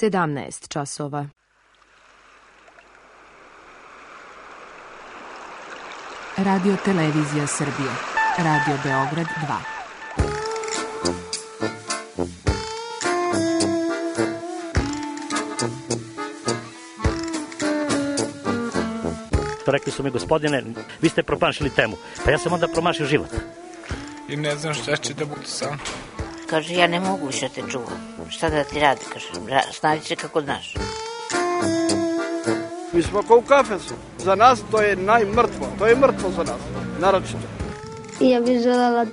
17 časova. Radio Televizija Srbije. Radio Beograd 2. Rekli su mi, gospodine, vi ste promašili temu. Pa ja sam onda promašio život. I ne znam šta će da bude sam. Kaže, ja ne mogu više te čuvam. Šta da ti radi, kaže, snađi se kako znaš. Mi smo kao u kafesu. Za nas to je najmrtvo. To je mrtvo za nas, naročito. I ja bih željela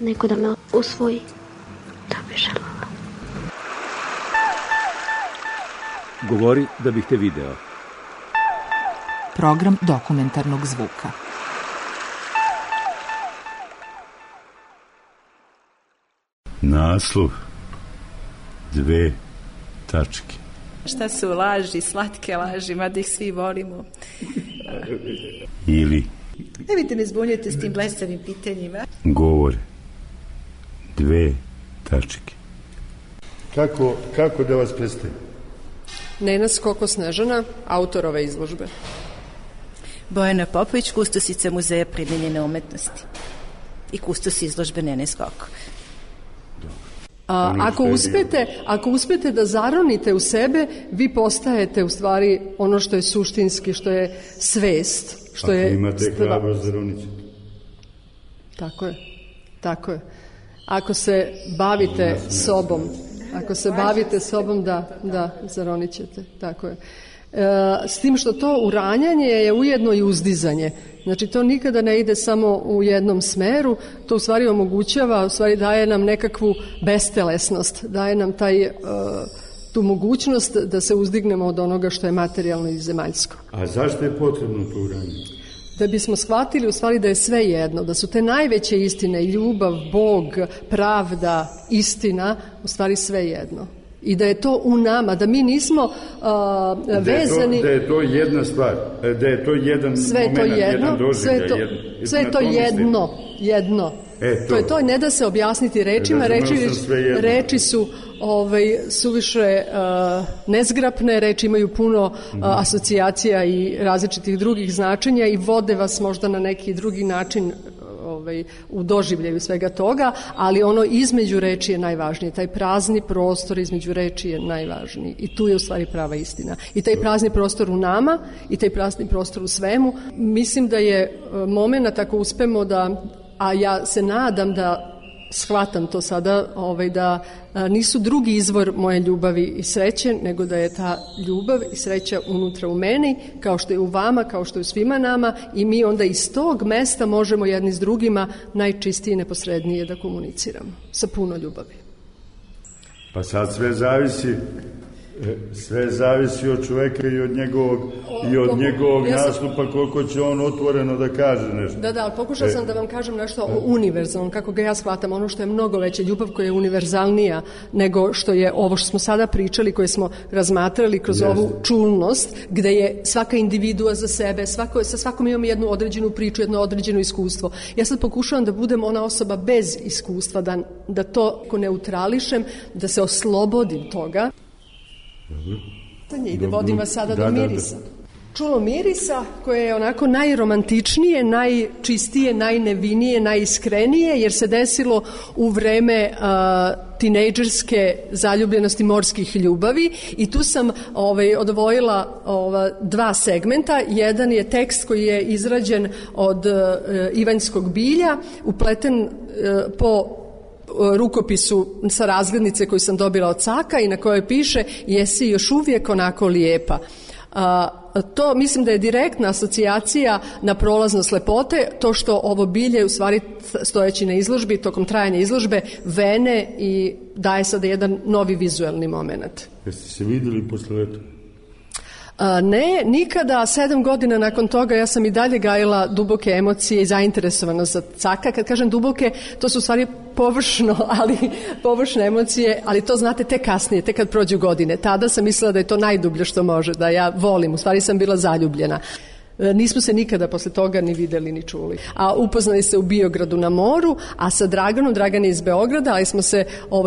neko da me usvoji. Da bih željela. Govori da bih te video. Program dokumentarnog zvuka. Naslov 2 tačke. Šta su laži, slatke laži, mada ih svi volimo. Ili Nemojte me zbunjujete s tim blesavim pitanjima. govore 2 tačke. Kako da vas predstavim? Nena Skoko Snežana, autor ove izložbe. Bojana Popović, kustosica Muzeja primenjene umetnosti i kustos izložbe Nene Skoko. Ako uspete da zaronite u sebe, vi postajete u stvari ono što je suštinski, što je svest. Što Ako je imate hrabrost zaroniti. Tako je. Ako se bavite sobom, da, zaronit ćete. Tako je. S tim što to uranjanje je ujedno i uzdizanje. Znači to nikada ne ide samo u jednom smeru, to u stvari omogućava, u stvari daje nam nekakvu bestelesnost, daje nam tu mogućnost da se uzdignemo od onoga što je materijalno i zemaljsko. A zašto je potrebno to uranjanje? Da bismo shvatili u stvari da je sve jedno, da su te najveće istine, ljubav, Bog, pravda, istina, u stvari sve jedno. I da je to u nama, da mi nismo vezani... Da je to jedna stvar, da je to jedan moment, jedan doživljaj. Sve je to jedno. To je to, ne da se objasniti rečima, reči su suviše nezgrapne, reči imaju puno asocijacija i različitih drugih značenja i vode vas možda na neki drugi način u doživljaju svega toga, ali ono između reči je najvažnije. Taj prazni prostor između reči je najvažniji. I tu je u stvari prava istina. I taj prazni prostor u nama i taj prazni prostor u svemu. Mislim da je moment ako uspemo da, a ja se nadam da shvatam to sada, da nisu drugi izvor moje ljubavi i sreće, nego da je ta ljubav i sreća unutra u meni, kao što je u vama, kao što je u svima nama, i mi onda iz tog mesta možemo jedni s drugima najčistije i neposrednije da komuniciramo sa puno ljubavi. Pa sad sve zavisi od čoveka i od njegovog nastupa, koliko će on otvoreno da kaže nešto. Da, ali pokušao sam da vam kažem nešto o univerzalnom, kako ga ja shvatam, ono što je mnogo veće, ljubav koja je univerzalnija nego što je ovo što smo sada pričali, koje smo razmatrali kroz ovu čulnost, gde je svaka individua za sebe, sa svakom imamo jednu određenu priču, jedno određeno iskustvo. Ja sad pokušavam da budem ona osoba bez iskustva, da to neutrališem, da se oslobodim toga. Vodim vas sada do mirisa. Čulo mirisa koje je onako najromantičnije, najčistije, najnevinije, najiskrenije, jer se desilo u vreme tinejdžerske zaljubljenosti morskih ljubavi, i tu sam odvojila 2 segmenta. Jedan je tekst koji je izrađen od Ivanjskog bilja, upleten po rukopisu sa razglednice koju sam dobila od Caka i na kojoj piše: jesi još uvijek onako lijepa. To mislim da je direktna asocijacija na prolaznost lepote, to što ovo bilje u stvari stojeći na izložbi, tokom trajanja izložbe, vene i daje sada jedan novi vizuelni moment. Jeste se vidjeli posle leta? Ne, nikada. 7 godina nakon toga ja sam i dalje gajila duboke emocije i zainteresovanost za Caka. Kad kažem duboke, to su u stvari površne emocije, ali to znate tek kasnije, tek kad prođu godine. Tada sam mislila da je to najdublje što može, da ja volim, u stvari sam bila zaljubljena. Nismo se nikada posle toga ni videli ni čuli. A upoznali se u Biogradu na moru, a sa Dragan je iz Beograda, ali smo se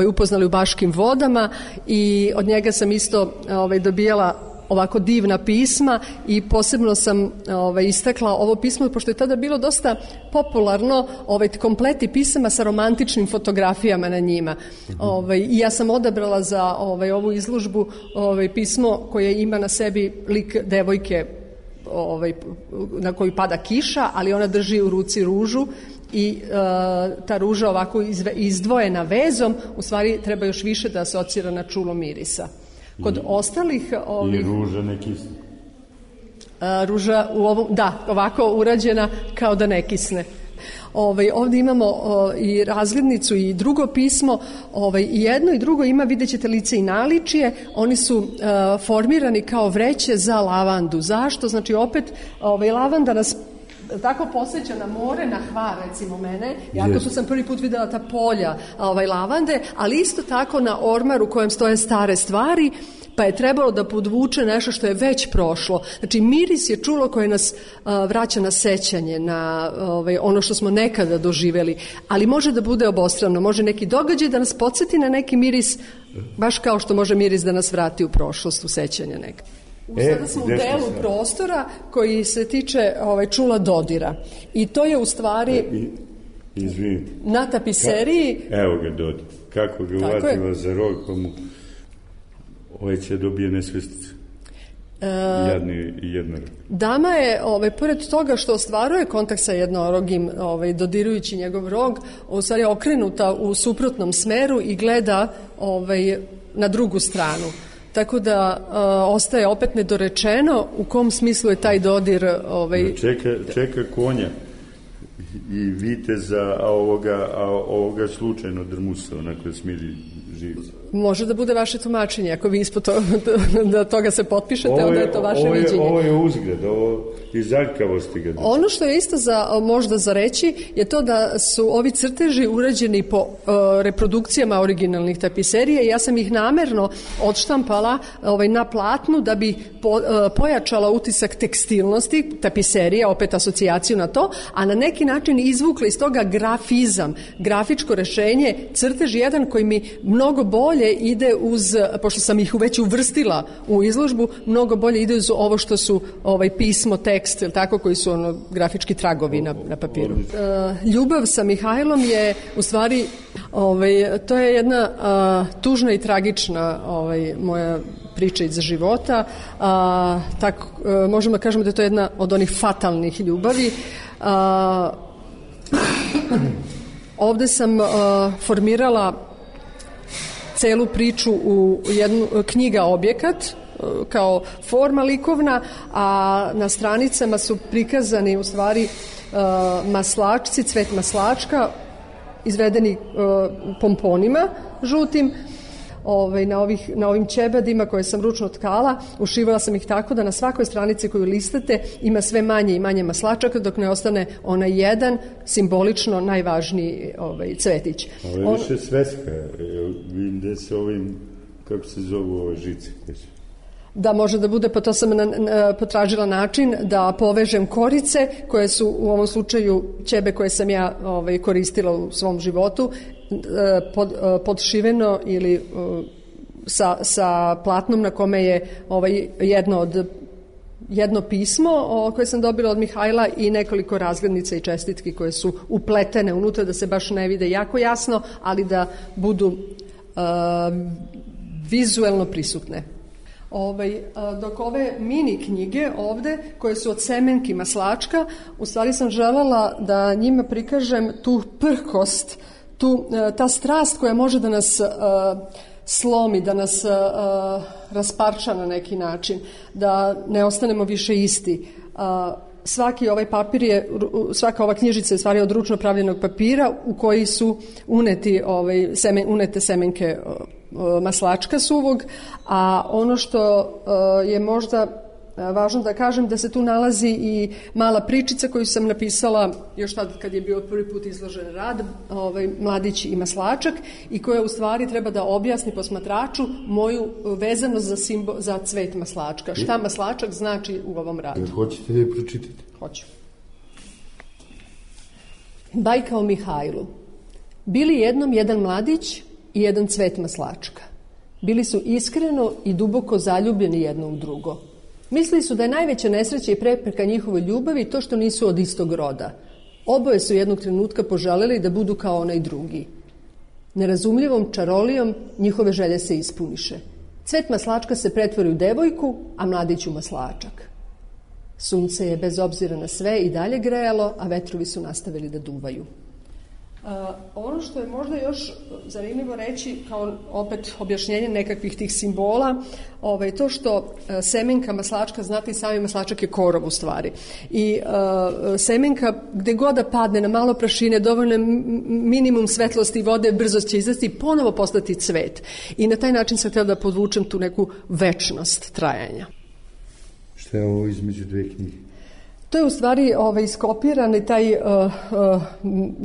upoznali u Baškim vodama i od njega sam isto dobijala ovako divna pisma i posebno sam istakla ovo pismo, pošto je tada bilo dosta popularno, kompleti pisama sa romantičnim fotografijama na njima. I ja sam odabrala za ovu izložbu pismo koje ima na sebi lik devojke na koju pada kiša, ali ona drži u ruci ružu i ta ruža ovako izdvojena vezom, u stvari treba još više da asocira na čulo mirisa. Kod ostalih... I ruža ne kisne. Ruža ovako urađena kao da ne kisne. Ovdje imamo i razglednicu i drugo pismo, i jedno i drugo ima, vidjet ćete, lice i naličje. Oni su formirani kao vreće za lavandu. Zašto? Znači opet lavanda nas tako posjeća na more, na Hvar, recimo mene, jako sam prvi put videla ta polja lavande, ali isto tako na ormar u kojem stoje stare stvari, pa je trebalo da podvuče nešto što je već prošlo. Znači miris je čulo koje nas vraća na sećanje, na ono što smo nekada doživjeli, ali može da bude obostrano, može neki događaj da nas podsjeti na neki miris, baš kao što može miris da nas vrati u prošlost, u sećanje neka. Sada smo u delu prostora koji se tiče čula dodira. I to je u stvari na tapiseriji... Evo ga Dodir. Kako ga uvatila za rog, pa mu će dobije nesvestice. Jadni jednorog. Dama je, pored toga što ostvaruje kontakt sa jednorogim, dodirujući njegov rog, u stvari okrenuta u suprotnom smeru i gleda na drugu stranu. Tako da ostaje opet nedorečeno u kom smislu je taj dodir... Čeka konja i viteza, a ovoga slučajno drmusa, onako smiri živce. Može da bude vaše tumačenje, ako vi ispod da toga se potpišete, onda je to vaše viđenje. Ovo je uzgled, ovo iz aljkavosti ga. Ono što je isto možda za reći je to da su ovi crteži urađeni po reprodukcijama originalnih tapiserija i ja sam ih namerno odštampala na platnu da bi pojačala utisak tekstilnosti tapiserija, opet asocijaciju na to, a na neki način izvukla iz toga grafizam, grafičko rešenje, crtež jedan koji mi mnogo bolje ide uz, pošto sam ih već uvrstila u izložbu, mnogo bolje ide uz ovo što su pismo, tekst, tako, koji su grafički tragovi na papiru. Ljubav sa Mihajlom je u stvari, to je jedna tužna i tragična moja priča iz života. Tako, možemo da kažemo da je to jedna od onih fatalnih ljubavi. Ovde sam formirala celu priču u jednu knjiga objekat kao forma likovna, a na stranicama su prikazani u stvari maslačci, cvet maslačka izvedeni pomponima žutim. Na ovim ćebadima koje sam ručno tkala, ušivala sam ih tako da na svakoj stranici koju listate ima sve manje i manje maslačaka, dok ne ostane onaj jedan simbolično najvažniji cvetić. Ovo je više sveska, vidim da se ovim, kako se zovu ove žice? Da, može da bude, pa to sam potražila način da povežem korice koje su u ovom slučaju ćebe koje sam ja koristila u svom životu, podšiveno ili sa platnom na kome je jedno pismo koje sam dobila od Mihajla i nekoliko razglednica i čestitki koje su upletene unutra da se baš ne vide jako jasno, ali da budu vizuelno prisutne. Dok ove mini knjige ovde, koje su od semenki maslačka, u stvari sam želela da njima prikažem tu prkost, ta strast koja može da nas slomi, da nas rasparča na neki način, da ne ostanemo više isti. Svaki ovaj papir je, svaka ova knjižica je stvari od ručno pravljenog papira u koji su unete semenke maslačka suvog, a ono što je možda Važno da kažem da se tu nalazi i mala pričica koju sam napisala još tad kad je bio prvi put izložen rad, Mladić i maslačak, i koja u stvari treba da objasni posmatraču moju vezanost za cvet maslačka. Šta maslačak znači u ovom radu. Hoćete da je pročitati? Hoću. Bajka o Mihajlu. Bili jednom jedan mladić i jedan cvet maslačka. Bili su iskreno i duboko zaljubljeni jedno u drugo. Mislili su da je najveća nesreća i prepreka njihovoj ljubavi to što nisu od istog roda. Oboje su jednog trenutka poželeli da budu kao onaj drugi. Nerazumljivom čarolijom njihove želje se ispuniše. Cvet maslačka se pretvori u devojku, a mladić u maslačak. Sunce je bez obzira na sve i dalje grejalo, a vetrovi su nastavili da duvaju. Ono što je možda još zanimljivo reći kao opet objašnjenje nekakvih tih simbola, to što semenka maslačka, znate i sami maslačak je korov u stvari, i semenka gde god da padne na malo prašine, dovoljno minimum svetlosti i vode, brzo će izrasti i ponovo postati cvet, i na taj način sam htjela da podvučem tu neku večnost trajanja. Šta je ovo između dve knjige? To je u stvari iskopiran taj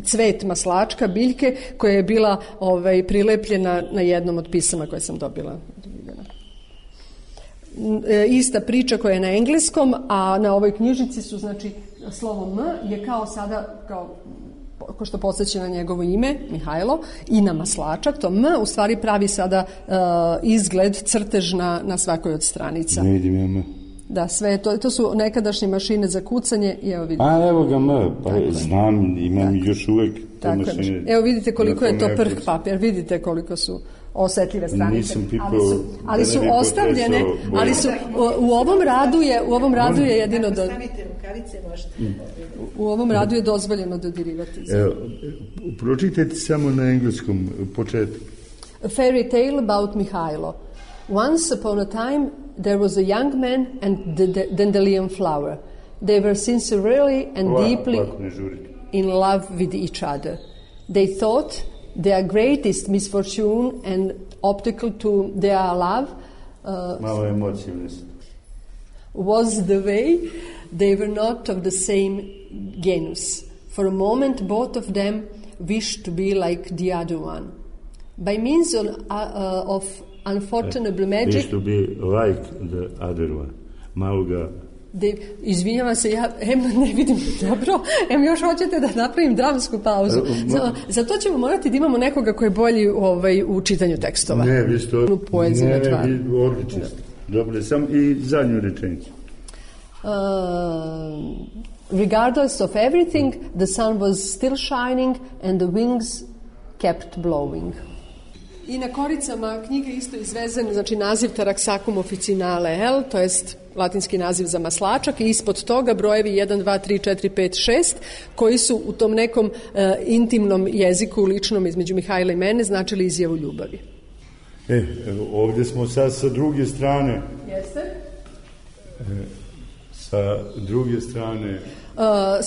cvet maslačka, biljke, koja je bila prilepljena na jednom od pisama koje sam dobila. Ista priča koja je na engleskom, a na ovoj knjižici su, znači, slovo M je kao sada, ko što podsjeća na njegovo ime, Mihajlo, i na maslačak, to M u stvari pravi sada izgled, crtež na svakoj od stranica. Ne vidim ja M. Da, sve, to su nekadašnje mašine za kucanje i evo vidite. A evo ga M, pa znam, imam još uvek te mašine. Evo vidite koliko je to prh papir, vidite koliko su osetljive stranice, ali su ostavljene, ali su u ovom radu je jedino do... U ovom radu je dozvoljeno dodirivati. Pročitajte samo na engleskom početku. A fairy tale about Mihajlo. Once upon a time there was a young man and the dandelion flower. They were sincerely and deeply in love with each other. They thought their greatest misfortune and obstacle to their love was the way they were not of the same genus. For a moment both of them wished to be like the other one. By means of unfortunate magic... Wish to be like the other one. Malo ga... Izvinjavam se, ja ne vidim dobro, još hoćete da napravim dramsku pauzu. Zato ćemo morati da imamo nekoga koji je bolji u čitanju tekstova. Ne, vi ste odlični. Dobro, sam i zadnju rečenicu. Regardless of everything, the sun was still shining and the wings kept blowing. I na koricama knjige isto izvezen, znači naziv Taraxacum officinale L, to jest latinski naziv za maslačak, i ispod toga brojevi 1, 2, 3, 4, 5, 6, koji su u tom nekom intimnom jeziku ličnom između Mihajla i mene značili izjavu ljubavi. Ovdje smo sad sa druge strane. Jeste? Sa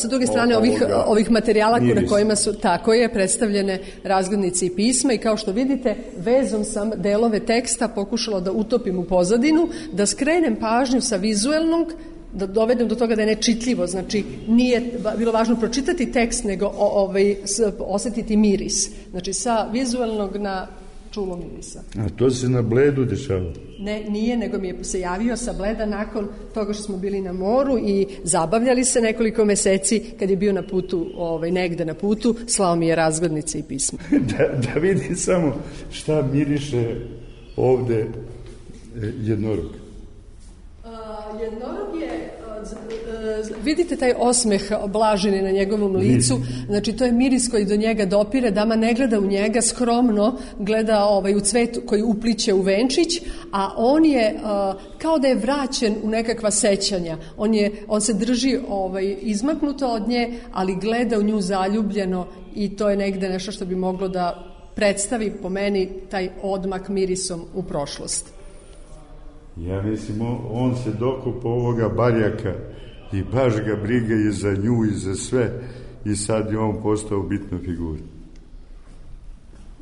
druge strane ovih materijala na kojima su tako je predstavljene razglednice i pisma, i kao što vidite vezom sam delove teksta pokušala da utopim u pozadinu, da skrenem pažnju sa vizuelnog, da dovedem do toga da je nečitljivo, znači nije bilo važno pročitati tekst nego osetiti miris, znači sa vizuelnog na čulo mirisa. A to se na Bledu dešava? Ne, nije, nego mi je se javio sa Bleda nakon toga što smo bili na moru i zabavljali se nekoliko meseci. Kad je bio na putu, negde na putu, slao mi je razglednice i pisma. Da vidi samo šta miriše ovde jednorog. Jednorog je, vidite taj osmeh blaženi na njegovom licu, znači to je miris koji do njega dopire, dama ne gleda u njega, skromno gleda u cvet koji upliće u venčić, a on je kao da je vraćen u nekakva sećanja, on se drži izmaknuto od nje, ali gleda u nju zaljubljeno, i to je negde nešto što bi moglo da predstavi po meni taj odmak mirisom u prošlost. Ja mislim, on se dokopao ovoga barjaka i baš ga briga i za nju i za sve, i sad je on postao bitna figura.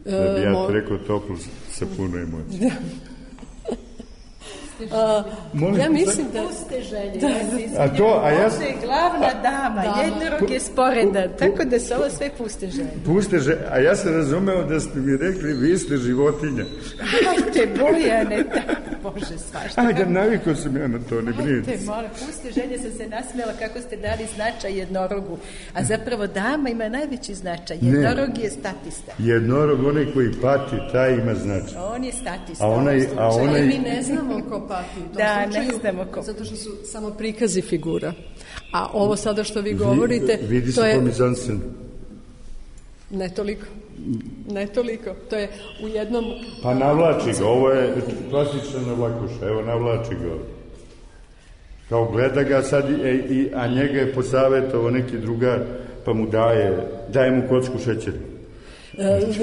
Da bi ja rekao toplo sa puno emocija. Ja mislim da... Puste želje. Ovdje je glavna dama, jednorog je sporedan, tako da su ovo sve puste želje. Puste želje, a ja sam razumeo da ste mi rekli, vi ste životinja. Ajte, Bojane, Bože, svašta. Ajde, navikao sam ja na to, ne brinite. Ajte, moram, puste želje, sam se nasmijela kako ste dali značaj jednorogu. A zapravo dama ima najveći značaj. Jednorog je statista. Jednorog, onaj koji pati, taj ima značaj. On je statista. A onaj... Mi ne znamo ko pati u tom slučaju, ne znamo ko. Zato što su samo prikazi figura. A ovo sada što vi govorite... Vidi se po mizanscenu. Ne toliko. To je u jednom... Pa navlači ga, ovo je klasična navlakuša, evo navlači ga ovdje. Kao gleda ga sad, a njega je posavjetovao neki drugar, pa mu daje mu kocku šećera.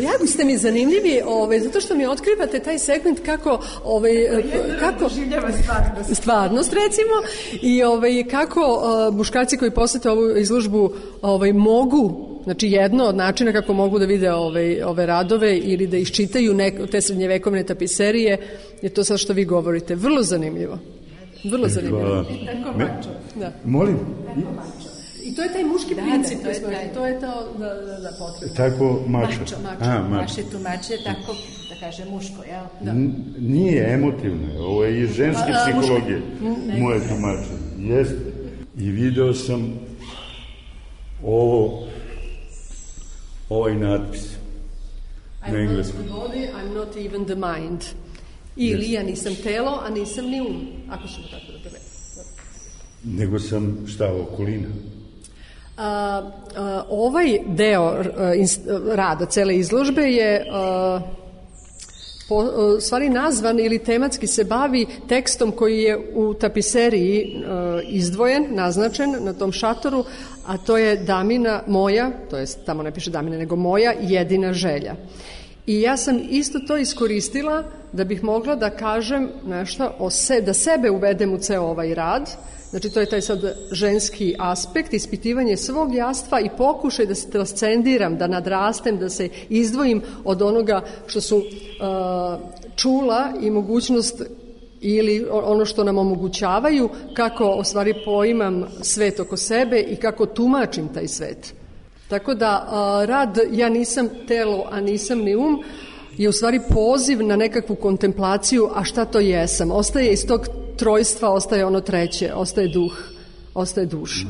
Jako ste mi zanimljivi, zato što mi otkrivate taj segment kako stvarnost recimo i kako muškarci koji posete ovu izložbu mogu, znači jedno od načina kako mogu da vide ove radove ili da iščitaju te srednjevekovne tapiserije je to sad što vi govorite. Vrlo zanimljivo. Molim? I to je taj muški princip, to je to da potreba. Tako mača. Mače tumače, tako da kaže muško, jel? Da. Nije emotivno, ovo je iz ženske psihologije. Moje tumače. Jeste. I video sam ovaj natpis na engleskom. I'm not the body, I'm not even the mind. Ili ja nisam telo, a nisam ni ako ćemo tako da prevede. Nego sam okolina. Ovaj deo rada cele izložbe je stvari nazvan ili tematski se bavi tekstom koji je u tapiseriji izdvojen, naznačen na tom šatoru, a to je Damina moja, to je tamo ne piše Damina nego moja jedina želja. I ja sam isto to iskoristila da bih mogla da kažem nešto da sebe uvedem u ceo ovaj rad. Znači to je taj sad ženski aspekt, ispitivanje svog jastva i pokušaj da se transcendiram, da nadrastem, da se izdvojim od onoga što su čula i mogućnost ili ono što nam omogućavaju, kako u stvari poimam svet oko sebe i kako tumačim taj svet. Tako da rad ja nisam telo, a nisam ni je u stvari poziv na nekakvu kontemplaciju, a šta to jesam. Ostaje iz tog trojstva, ostaje ono treće, ostaje duh, ostaje duša.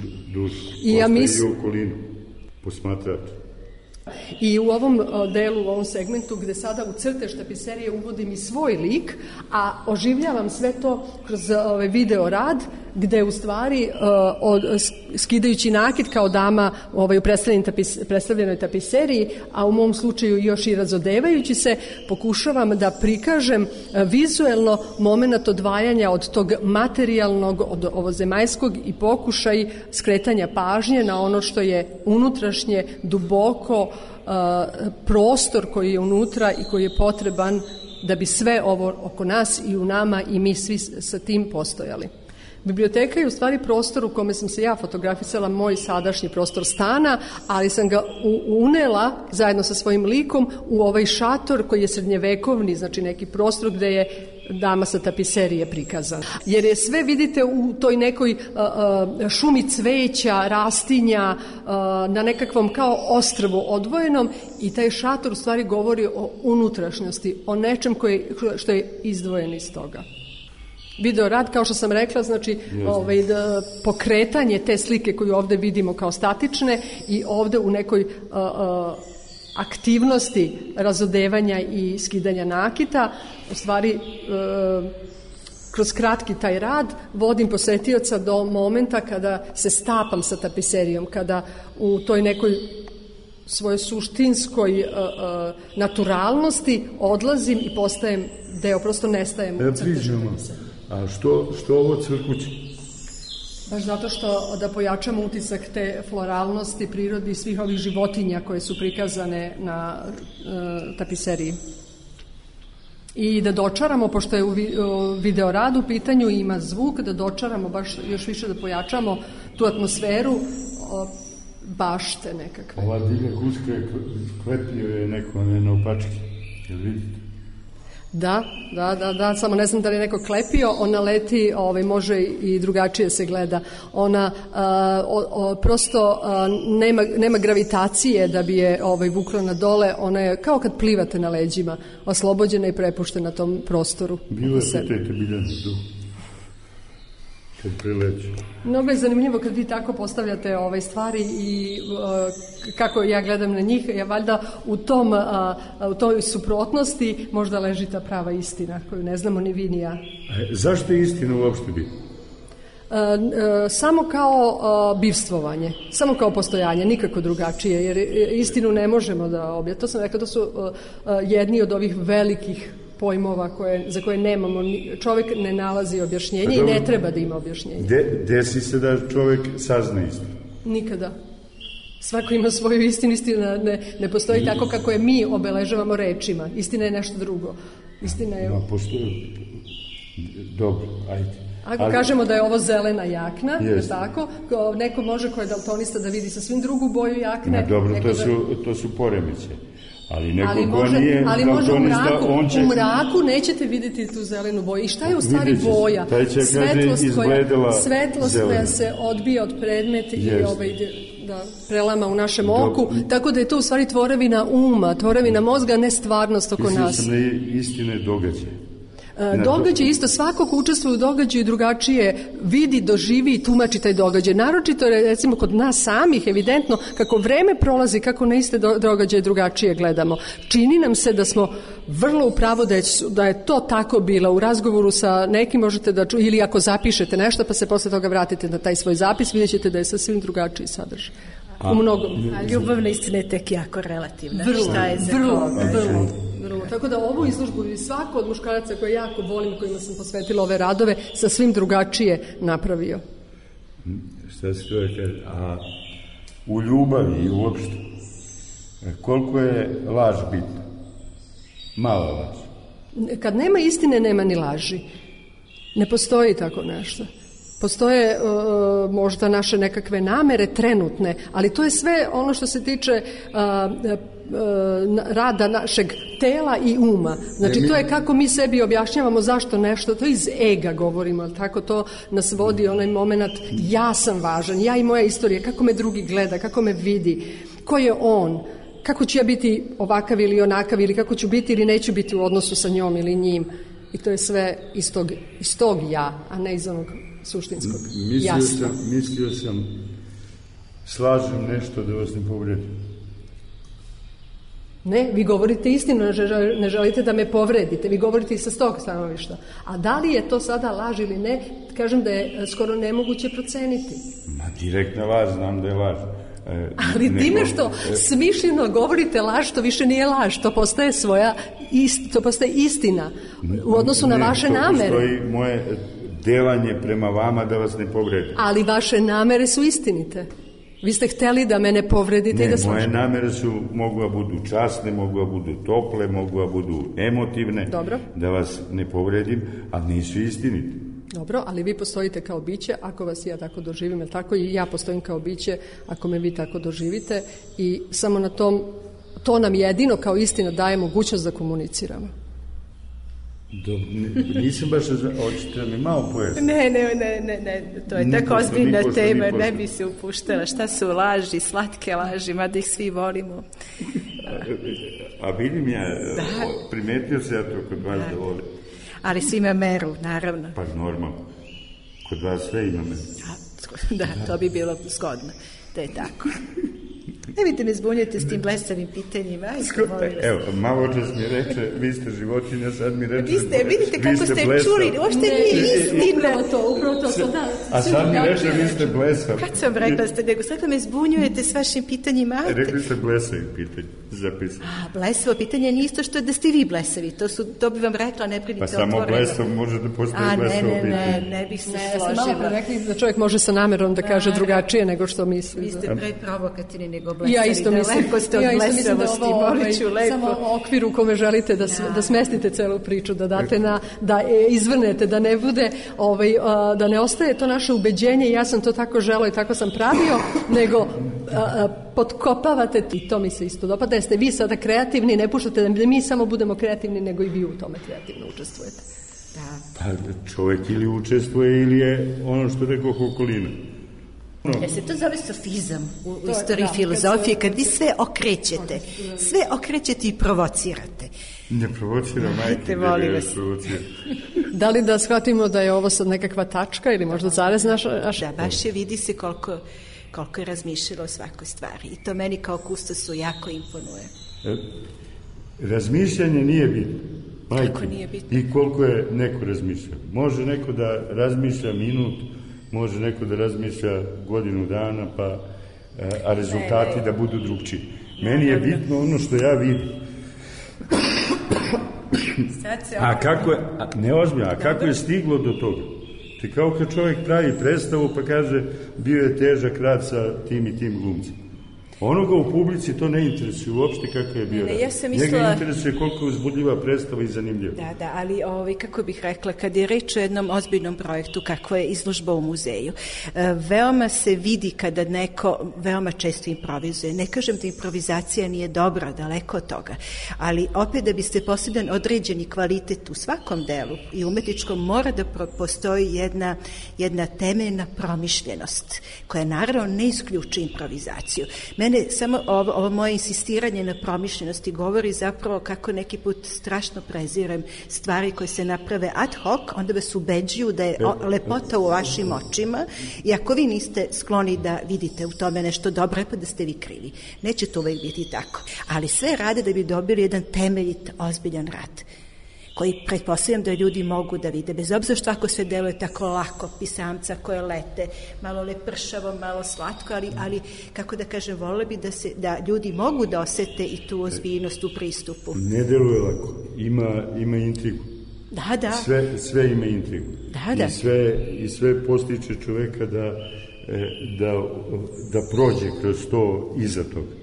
I ja ostaje i okolinu, posmatrati. I u ovom delu, u ovom segmentu gde sada u crtež tapiserije uvodim i svoj lik, a oživljavam sve to kroz video rad, gde u stvari skidajući nakit kao dama u predstavljenoj tapiseriji, a u mom slučaju još i razodevajući se, pokušavam da prikažem vizuelno moment odvajanja od tog materijalnog, od ovozemaljskog i pokušaj skretanja pažnje na ono što je unutrašnje, duboko, prostor koji je unutra i koji je potreban da bi sve ovo oko nas i u nama i mi svi sa tim postojali. Biblioteka je u stvari prostor u kome sam se ja fotografisala, moj sadašnji prostor stana, ali sam ga unela zajedno sa svojim likom u ovaj šator koji je srednjevekovni, znači neki prostor gde je dama sa tapiserije prikazana. Jer je sve, vidite, u toj nekoj šumi cveća, rastinja, na nekakvom kao ostrvu odvojenom, i taj šator u stvari govori o unutrašnjosti, o nečem što je izdvojen iz toga. Video rad, kao što sam rekla, znači pokretanje te slike koju ovde vidimo kao statične i ovde u nekoj aktivnosti razodevanja i skidanja nakita, u stvari kroz kratki taj rad vodim posetioca do momenta kada se stapam sa tapiserijom, kada u toj nekoj svojoj suštinskoj naturalnosti odlazim i postajem deo, prosto nestajem u crtežu. A što ovo crkuće? Baš zato što da pojačamo utisak te floralnosti, prirodi i svih ovih životinja koje su prikazane na tapiseriji. I da dočaramo, pošto je u video radu u pitanju i ima zvuk, da dočaramo baš još više, da pojačamo tu atmosferu bašte nekakve. Ova divlja guska klepio je neko na opački, jel vidite? Da, samo ne znam da li je neko klepio, ona leti, može i drugačije se gleda. Ona prosto nema gravitacije da bi je vukla na dole, ona je kao kad plivate na leđima, oslobođena i prepuštena tom prostoru. Bilo je pitajte Biljanu tu, kad prileću. Mnogo je zanimljivo kad vi tako postavljate stvari i kako ja gledam na njih, ja valjda u toj suprotnosti možda leži ta prava istina koju ne znamo ni vi ni ja. Zašto je istina uopšte biti? Samo kao bivstvovanje, samo kao postojanje, nikako drugačije, jer istinu ne možemo da objasnimo. To sam rekla, to su jedni od ovih velikih pojmova za koje nemamo, čovjek ne nalazi objašnjenje i ne treba da ima objašnjenje. Desi se da čovjek sazna istinu? Nikada. Svako ima svoju istinu, istina ne postoji tako kako je mi obeležavamo rečima. Istina je nešto drugo. Istina je... Postoji... Dobro, ajde. Ako kažemo da je ovo zelena jakna, tako, neko može ko je daltonista da vidi sa svim drugu boju jakne. Dobro, to su poremeće. Ali može u mraku nećete vidjeti tu zelenu boju. I šta je u stvari boja? Svetlost koja se odbija od predmeta i prelama u našem oku, tako da je to u stvari tvorevina uma, tvorevina mozga, ne stvarnost oko nas. Mislim sam istine događaje. Događaj isto, svako ko učestvuje u događaju drugačije vidi, doživi i tumači taj događaj. Naročito je recimo kod nas samih evidentno kako vreme prolazi, kako na iste događaje drugačije gledamo. Čini nam se da smo vrlo upravo da je to tako bilo. U razgovoru sa nekim možete da čujete, ili ako zapišete nešto pa se posle toga vratite na taj svoj zapis, vidjet ćete da je sasvim drugačiji sadržaj. U mnogom. A ljubavna istina je tek jako relativna. Vrlo. Tako da ovu izložbu i svako od muškaraca koje jako volim, kojima sam posvetila ove radove, sa svim drugačije napravio. Šta se to kaže? A u ljubavi i uopšte, koliko je laž bitna? Mala laž. Kad nema istine, nema ni laži. Ne postoji tako nešto. Postoje možda naše nekakve namere trenutne, ali to je sve ono što se tiče rada našeg tela i uma. Znači to je kako mi sebi objašnjavamo zašto nešto, to iz ega govorimo, tako to nas vodi onaj moment ja sam važan, ja i moja istorija, kako me drugi gleda, kako me vidi, ko je on, kako ću ja biti ovakav ili onakav ili kako ću biti ili neću biti u odnosu sa njom ili njim. I to je sve iz tog ja, a ne iz onog suštinskog jasna. Mislio sam slažem nešto da vas ne povredim. Ne, vi govorite istinu, ne želite da me povredite, vi govorite i sa tog stanovišta. A da li je to sada laž ili ne, kažem da je skoro nemoguće proceniti. Direktna laž, znam da je laž. Ali time što smišljeno govorite laž, to više nije laž, to postaje to postaje istina u odnosu na vaše namere. To postoji moje delanje prema vama da vas ne povredim. Ali vaše namere su istinite. Vi ste hteli da me ne povredite i da slažete. Moje namere mogu da budu časne, mogu da budu tople, mogu da budu emotivne. Dobro. Da vas ne povredim, a nisu istinite. Dobro, ali vi postojite kao biće ako vas ja tako doživim, jer tako i ja postojim kao biće ako me vi tako doživite i samo na to nam jedino kao istina daje mogućnost da komuniciramo. Nisam baš hoćete da mi malo pojasniti. Ne, to je tako ozbiljna tema, ne bi se upuštala. Šta su laži, slatke laži, mada ih svi volimo. A vidim ja, primetio se ja to kod vas da volim. Ali svi ima meru, naravno. Pa normalno. Kod vas sve ima meru. Da, to bi bilo zgodno. To je tako. Nemojte me zbunjujete s tim blesavim pitanjima. Evo, malo čas mi reče, vi ste životinja, sad mi reče... Vidite kako ste čuli, uopšte nije istina. Upravo to, da. A sad mi reče, vi ste blesav. Kad sam rekla ste, nego sad me zbunjujete s vašim pitanjima. Rekli ste blesavim pitanje, zapisano. Blesavo pitanje nije isto što da ste vi blesavi, to bi vam rekla, ne brinite otvoreno. Pa samo blesav može da postoji blesavo pitanje. Ne bih se složila. Malo pre rekli da čovjek može sa namerom da kaže drugačije nego što misli. Vi ste preprovokativni nego blesavi. Ja isto mislim da ovo samo okvir u kome želite da smestite celu priču, da date da izvrnete, da ne bude da ne ostaje to naše ubeđenje, ja sam to tako želeo i tako sam pravio, nego potkopavate, i to mi se isto dopada, da ste vi sada kreativni, ne puštate da mi samo budemo kreativni, nego i vi u tome kreativno učestvujete. Da. Pa čovjek ili učestvuje ili je ono što rekao okolina. Jer se to zove sofizam u istoriji filozofije, kad vi sve okrećete i provocirate. Ne provociram, majke, ne provociram. Da li da shvatimo da je ovo sad nekakva tačka ili možda zarez naša? Da, baš je, vidi se koliko je razmišljalo o svakoj stvari. I to meni kao kustosu jako imponuje. Razmišljanje nije bitno. Majke, nije bitno. I koliko je neko razmišljao. Može neko da razmišlja minut, može neko da razmišlja godinu dana, a rezultati da budu drugčiji. Meni je bitno ono što ja vidim. A kako je stiglo do toga? Ti kao kad čovjek pravi predstavu pa kaže bio je težak rad sa tim i tim glumcem. Onoga u publici to ne interesuje uopšte kako je bio rad. Njega interesuje koliko je uzbudljiva predstava i zanimljiva. Da, ali kako bih rekla, kad je reč o jednom ozbiljnom projektu kako je izložba u muzeju, veoma se vidi kada neko veoma često improvizuje. Ne kažem da improvizacija nije dobra, daleko od toga, ali opet da biste posebno određeni kvalitet u svakom delu i umetničkom mora da postoji jedna temeljna promišljenost koja naravno ne isključuje improvizaciju. Mene samo ovo moje insistiranje na promišljenosti govori zapravo kako neki put strašno prezirem stvari koje se naprave ad hoc, onda vas ubeđuju da je lepota u vašim očima i ako vi niste skloni da vidite u tome nešto dobro, pa da ste vi krivi. Neće to uvijek biti tako. Ali sve rade da bi dobili jedan temeljit, ozbiljan rad koji pretpostavljam da ljudi mogu da vide, bez obzira što ako sve deluje tako lako, pisamca koje lete, malo lepršavo, malo slatko, ali kako da kažem, volila bi da ljudi mogu da osete i tu ozbiljnost u pristupu. Ne deluje lako, ima intrigu. Da. Sve ima intrigu. Da. I sve postiče čoveka da prođe kroz to iza toga.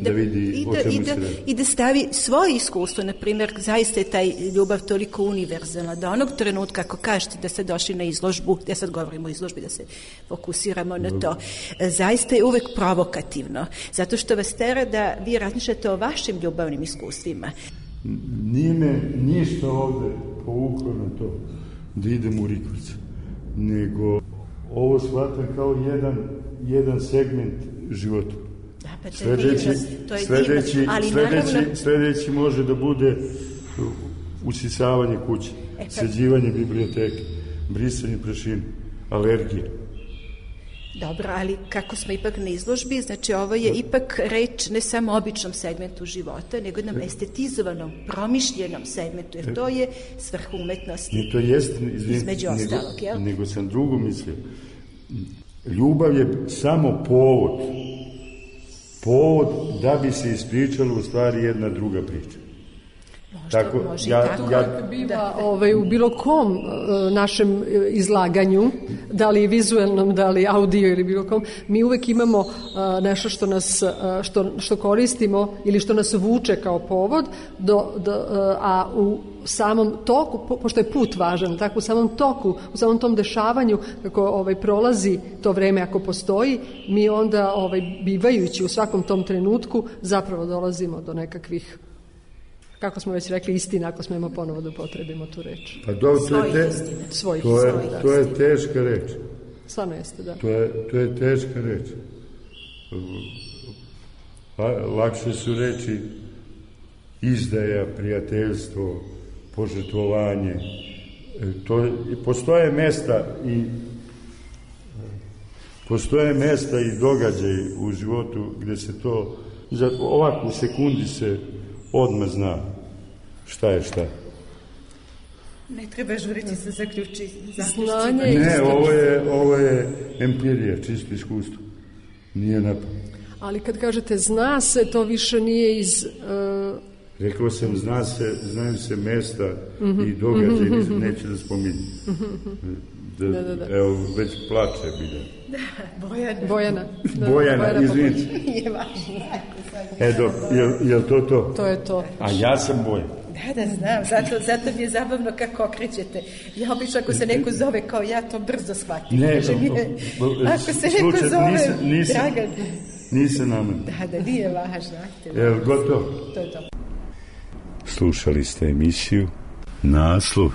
Da vidi o čemu se radi. I da stavi svoje iskustvo, na primjer, zaista je taj ljubav toliko univerzalna, da onog trenutka, ako kažete da ste došli na izložbu, ja sad govorim o izložbi, da se fokusiramo na to, zaista je uvek provokativno, zato što vas tera da vi razmišljate o vašim ljubavnim iskustvima. Nije me ništa ovde povuklo na to da idem u Rikvicu, nego ovo shvatam kao jedan segment života. Sledeći može da bude usisavanje kuće, sređivanje biblioteke, brisanje prašine, alergije. Dobro, ali kako smo ipak na izložbi, znači ovo je ipak reč ne samo o običnom segmentu života, nego jednom estetizovanom, promišljenom segmentu, jer to je svrha umetnosti. To jest, između ostalog, jel? Nego sam drugo mislio. Ljubav je samo povod da bi se ispričalo u stvari jedna druga priča. Može biva u bilo kom našem izlaganju, da li vizuelnom, da li audio ili bilo kom, mi uvek imamo nešto što koristimo ili što nas vuče kao povod, a u samom toku, pošto je put važan, tako u samom toku, u samom tom dešavanju, kako prolazi to vreme ako postoji, mi onda bivajući u svakom tom trenutku zapravo dolazimo do nekakvih, kako smo već rekli, istina, ako smemo ponovo da upotrebimo tu reč. Pa to je teška reč. Stvarno jeste, da. To je teška reč. Lakše su reči izdaja, prijateljstvo, požrtvovanje. Postoje mesta i događaj u životu gde se to, ovako u sekundi se odmah zna šta je šta. Ne treba žuriti se zaključi. Ne, ovo je empirija, čisto iskustvo. Nije napad. Ali kad kažete zna se, to više nije iz... Rekao sam, znaju se mesta i događaj, neću da spominjem. Evo, već plače Biljana. Bojana, izvinite. Je važno. Je li to? To je to. A ja sam Bojan. Da, znam, zato mi je zabavno kako okrećete. Ja obično ako se neko zove kao ja, to brzo shvatim. Ne, ako se neko zove Dragan. Nisam namerno. Da nije važno. Jel gotovo? To je to. Slušali ste emisiju naslov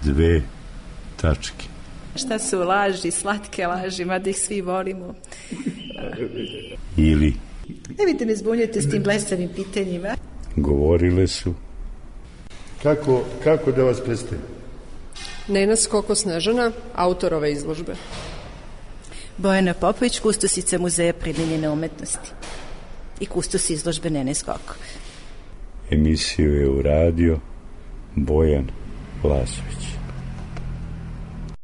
2 tačke. Šta su laži, slatke laži, mada ih svi volimo. Ili Nemojte me zbunjati s tim blesavim pitanjima. govorile su. Kako da vas predstavim? Nena Skoko Snežana, autor ove izložbe. Bojana Popović, kustosica Muzeja primenjene umetnosti i kustos izložbe Nene Skoko. Emisiju je uradio Bojan Lazović.